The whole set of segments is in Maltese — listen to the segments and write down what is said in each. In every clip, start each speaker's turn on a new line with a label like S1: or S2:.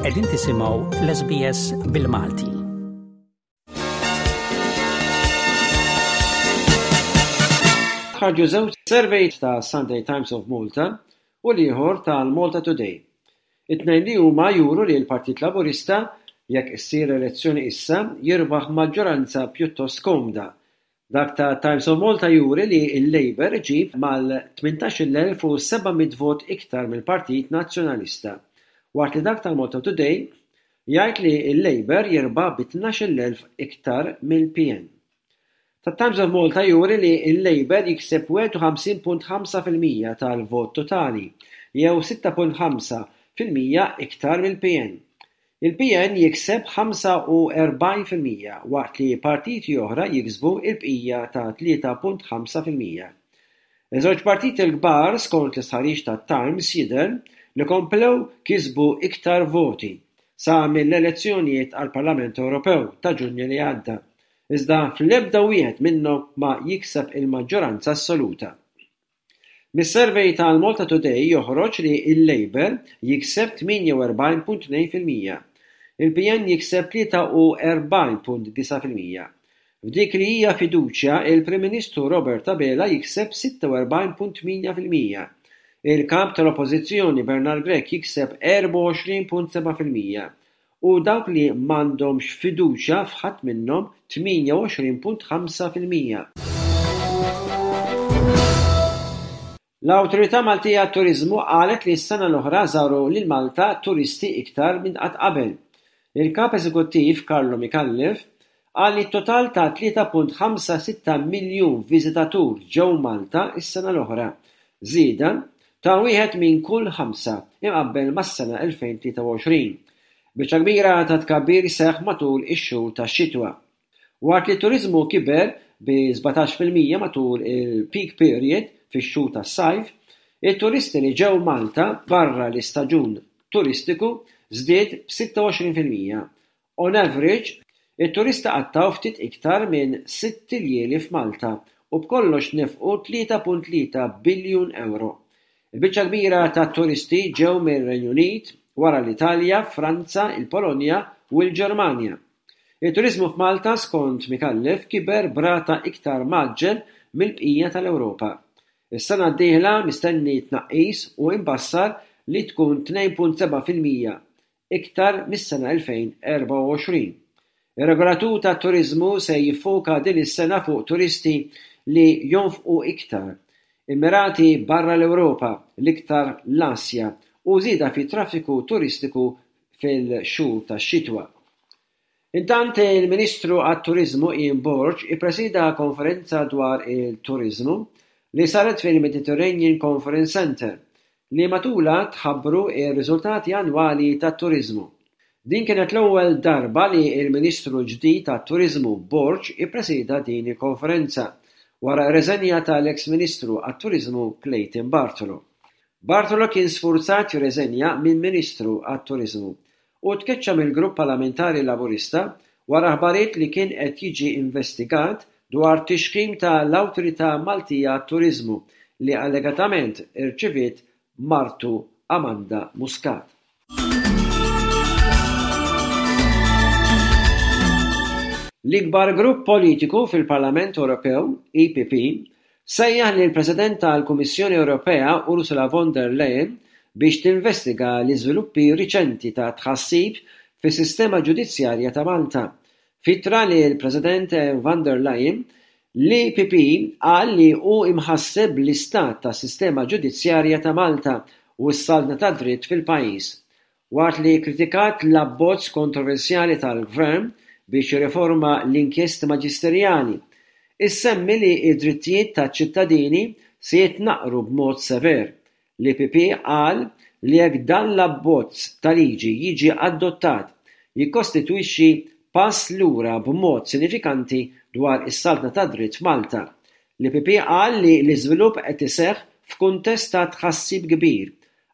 S1: Qegħdin tisimgħu l-SBS bil-Malti.
S2: Ħarġu żewġ surveys ta' Sunday Times of Malta u l-ieħor tal-Malta Today. It-tnejn li huma juru li l-Partit Laburista, jekk issir elezzjoni issa, jirbaħ maġġoranza pjuttost komda Dak ta' Times of Malta juri li l-Labour iġib mal-18,700 vot iktar mill-Partit Nazzjonalista, waqt li dak tal-Malta Today jgħid li l-Labour jirbaħ bi 12,000 iktar mill-PN. Tat-Times of Malta juri li l-Labour jikseb 51.5% tal-vot totali, jew 6.5% iktar mill-PN. Il-PN jikseb 45% waqt li partiti oħra jiksbu l-bqija ta' 3.5%. Iż-żewġ partiti l-kbar skont l-istħarriġ tat-Times jidher li komplew kisbu iktar voti sa mill-elezzjonijiet għall-Parlament Ewropew ta' Ġunju li għadda, iżda fl-ebda wieħed minnhom ma jikseb il-maġġoranza assoluta. Mis-survey tal-Malta Today joħroġ li l-Labour jikseb 48.2%, il-PN jikseb 43.9%. F'dik li hija fiduċja, il-Prim Ministru Robert Abela jikseb 46.8%, il-Kap tal-Oppożizzjoni Bernard Grech jikseb 24.7% u dawk li m'għandhomx fiduċja f'ħadd minnhom 28.5%. L-Awtorità Maltija għat-Turiżmu qalet li s-sena l-oħra żaru lil Malta turisti iktar minn qatt qabel. Il-Kap Eżekuttiv Carlo Micallef qal li total ta' 3.56 miljun viżitatur ġew Malta s-sena l-oħra, żieda ta' wieħed minn kull ħamsa imqabbel mas-sena 2023. Biċċa kbira ta' tkabbir seħħ matul ix-xhur tax-xitwa. Waqt li t-turiżmu kiber bi 17% matul il-peak period fix-xhur tas-sajf, it-turisti li ġew Malta barra l-istaġun turistiku żdied b'26%. On average, it-turisti qattgħu ftit iktar minn sitt iljieli f'Malta u b'kollox nefqu 3.3 biljun ewro. Il-biċċa l-kbira tat-turisti ġew mir-Renju Unit, wara l-Italja, Franza, il-Polonja u l-Ġermanja. It-turiżmu f'Malta skont Micallef kiber b'rata iktar mgħaġġel mill-bqija tal-Ewropa. Is-sena d-dieħla mistenni tnaqqis u imbassar li tkun 2.7% iktar mis-sena 2024. Ir-regolatur tat-turiżmu se jiffoka din is-sena fuq turisti li jonfqu iktar, immirati barra l-Ewropa, l-iktar l-Asja, u żieda fit-traffiku turistiku fil-xhur tax-xitwa. Intant il-Ministru għat-Turiżmu Ian Borg ippresieda konferenza dwar il-turiżmu li saret fil-Mediterranean Conference Centre li matulha tħabbru r-riżultati annwali tat-turiżmu. Din kienet l-ewwel darba li l-Ministru l-ġdid għat-Turiżmu Borg ippresieda din il-konferenza wara r-reżenja tal-eks Ministru għat-Turiżmu Clayton Bartolo. Bartolo kien sfurzat jirreżenja minn Ministru għat-Turiżmu u tkeċċa mill-Grupp Parlamentari Laburista wara aħbarijiet li kien qed jiġi investigat dwar tixħim ta' l-Awtorità Maltija għat-Turiżmu li allegatament irċiviet martu Amanda Muscat. L-ikbar grupp politiku fil-Parlament Ewropew, EPP, sejjaħ lill-President tal-Kummissjoni Ewropea Ursula von der Leyen biex tinvestiga l-iżviluppi riċenti ta' tħassib fis-sistema ġudizzjarja ta' Malta. F'ittra lill-President von der Leyen, l-EPP qal li hu imħasseb bl-istat tas-sistema ġudizzjarja ta' Malta u s-saltna tad-dritt fil-pajjiż. Waqt li kkritikat l-abbozz kontroversjali tal-Gvern biex jirriforma l-inkjesti maġisterjali, issemmi li d-drittijiet taċ-ċittadini se jitnaqqru b'mod sever. L-EPP qal li jekk dan l-abbozz ta' liġi jiġi adottat jikkostitwixxi pass lura b'mod sinifikanti dwar is-saltna tad-dritt f'Malta. L-EPP qal li l-iżvilupp qed iseħħ f'kuntest ta' tħassib kbir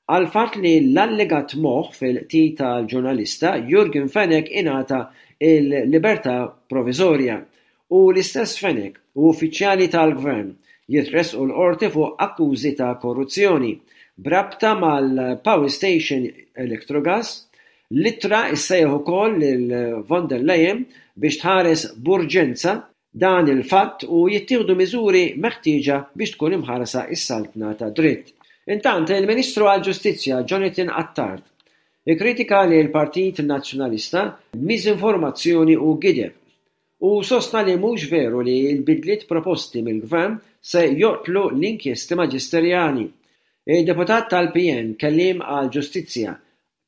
S2: għall-fatt li l-allegat moħħ fil-qtil tal-ġurnalista Yorgen Fenech ingħata l-libertà proviżorja u l-istess Fenech u uffiċjali tal-Gvern jitressqu l-Qorti fuq akkużi ta' korruzzjoni b'rabta mal-power station Electrogas. L-ittra issejjaħ ukoll lil von der Leyen biex tħares b'urġenza dan il-fatt u jittieħdu miżuri meħtieġa biex tkun imħarsa s-saltna tad-dritt. Intant, il-Ministru għall-Ġustizzja Jonathan Attard ikkritika lill-Partit Nazzjonalista b'miżinformazzjoni u gideb u sostna li mhux veru li l-bidliet proposti mill-Gvern se joqtlu l-inkjesti maġisterjali. Id-Deputat tal-PN kelliem għall-Ġustizzja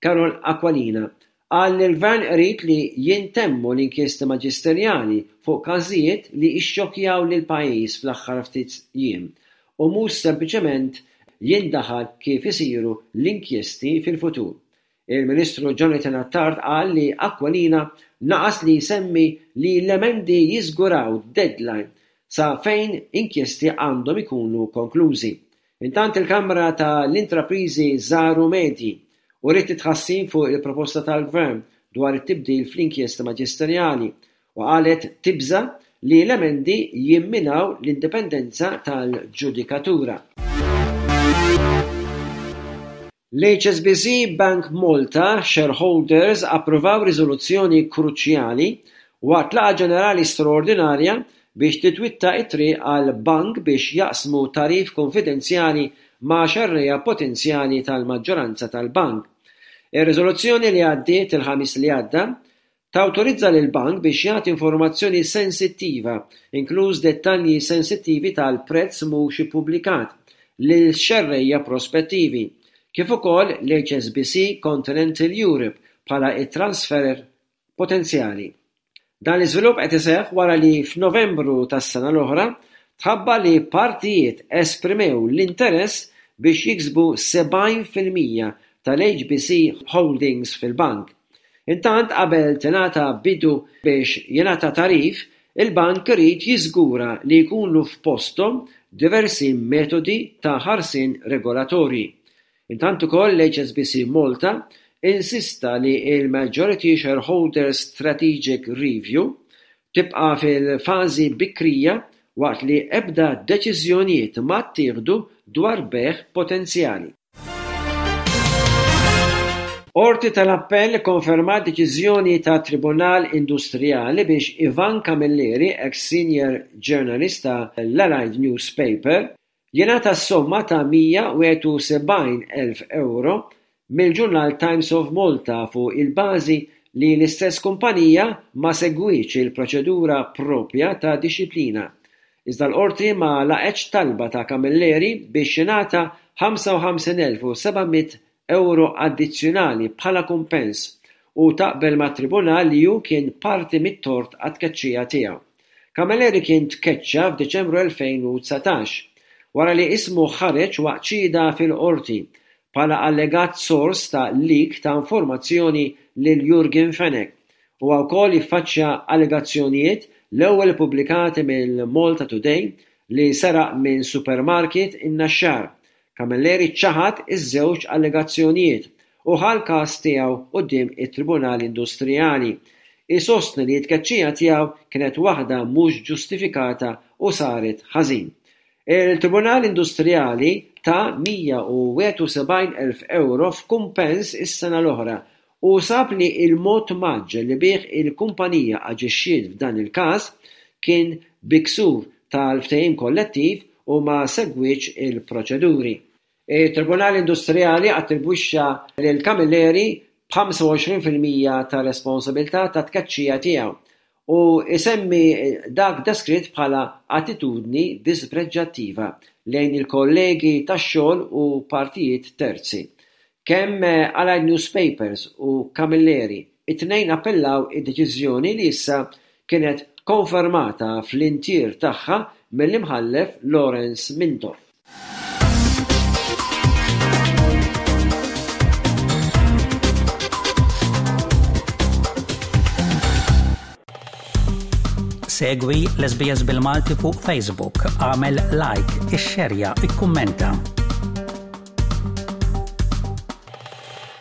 S2: Karol Aquilina qal li l-Gvern irid li jintemmu l-inkjesti maġisterjali fuq każijiet li ixxokkjaw lill-pajjiż fl-aħħar ftit jiem u mhux sempliċement jindaħal kif isiru l-inkjesti fil-futur. Il-Ministru Jonathan Attard qal li Aquilina naqas li jsemmi li l-emendi jiżguraw deadline sa fejn inkjesti għandhom ikunu konklużi. Intant il-Kamra ta' l-Intrapriżi Żgħar u Medji uriet it-tħassib fuq il-proposta tal-Gvern dwar it-tibdil fl-inkjesta maġisterjali u qalet tibża' li l-emendi jimminaw l-indipendenza tal-ġudikatura. L-HSBC Bank Malta shareholders approvaw riżoluzzjoni kruċjali waqt laqgħa ġenerali straordinarja biex titwitta t-triq għal bank biex jaqsmu tagħrif kunfidenzjali ma' xerrejja potenzjali tal-maġġoranza tal-bank. Ir-riżoluzzjoni li għaddiet il-Ħamis li għadda Tawtorizza lill-bank biex jagħti informazzjoni sensittiva, inkluż dettalji sensittivi tal-prezz mhux ippubblikat, lil xerrejja prospettivi, kif ukoll l-HSBC Continental Europe bħala t-transferer potenzjali. Dan l-iżvilupp qed iseħħ wara li f'Novembru tas-sena l-oħra tħabbar li partijiet esprimew l-interess biex jiksbu 70% tal-HBC Holdings fil-bank. Intant qabel tingħata bidu biex jingħata tagħrif, il-bank irid jiżgura li jkunu f'posthom diversi metodi ta' ħarsien regolatorji. Intant ukoll l-HSBC Malta insista li l-Majority Shareholder Strategic Review tibqa' fil-fażi bikrija waqt li ebda deċiżjonijiet ma ttieħdu dwar bejgħ potenzjali. Qorti tal-Appell ikkonfermat deċiżjoni tat-Tribunal Industrijali biex Ivan Camilleri, eks senior journalist ta' l-Allied Newspaper, jingħata s-somma ta' 171,000 ewro mill-ġurnal Times of Malta fuq il-bażi li l-istess kumpanija ma segwietx il-proċedura proprja ta' dixxiplina. Iżda l-Qorti ma laqgħetx talba ta' Camilleri biex jingħata 55,700 ewro addizzjonali bħala kumpens u taqbel mat-Tribunal li hu kien parti mit-tort għat-tkeċċija tiegħu. Camilleri kien tkeċċa f'Diċembru 2019, wara li ismu ħareġ waqt xhieda fil-Qorti bħala allegat sors ta' leak ta' informazzjoni lil Yorgen Fenech. Huwa wkoll jiffaċċja allegazzjonijiet l-ewwel ippubblikati mill-Malta Today li seraq minn supermarket in-Naxxar. Camilleri ċaħad iż-żewġ allegazzjonijiet u ħa l-każ tiegħu quddiem it-Tribunal Industrijali. Isostni li t-tkeċċija tiegħu kienet waħda mhux ġustifikata u saret ħażin. Il-Tribunal Industrijali ta 171,000 ewro f'kumpens is-sena l-oħra u sab li l-mod mgħaġġel li bih il-kumpanija aġixxiet f'dan il-każ kien bi ksur tal-ftehim kollettiv u ma segwietx il-proċeduri. It-Tribunal Industrijali attribwixxa lil Camilleri b'25 fil-mija tar-responsabilità tat-tkeċċija tiegħu u jsemmi dak deskritt bħala attitudni dispreġġattiva lejn il-kollegi tax-xogħol u partijiet terzi. Kemm Allied Newspapers u Camilleri it-tnejn appellaw id-deċiżjoni li issa kienet konfermata fl-intier tagħha mill-Imħallef Lawrence Mintoff.
S1: Segwi l-SBS bil-Malti fuq Facebook, għamel like, ixxerja, ikkummenta.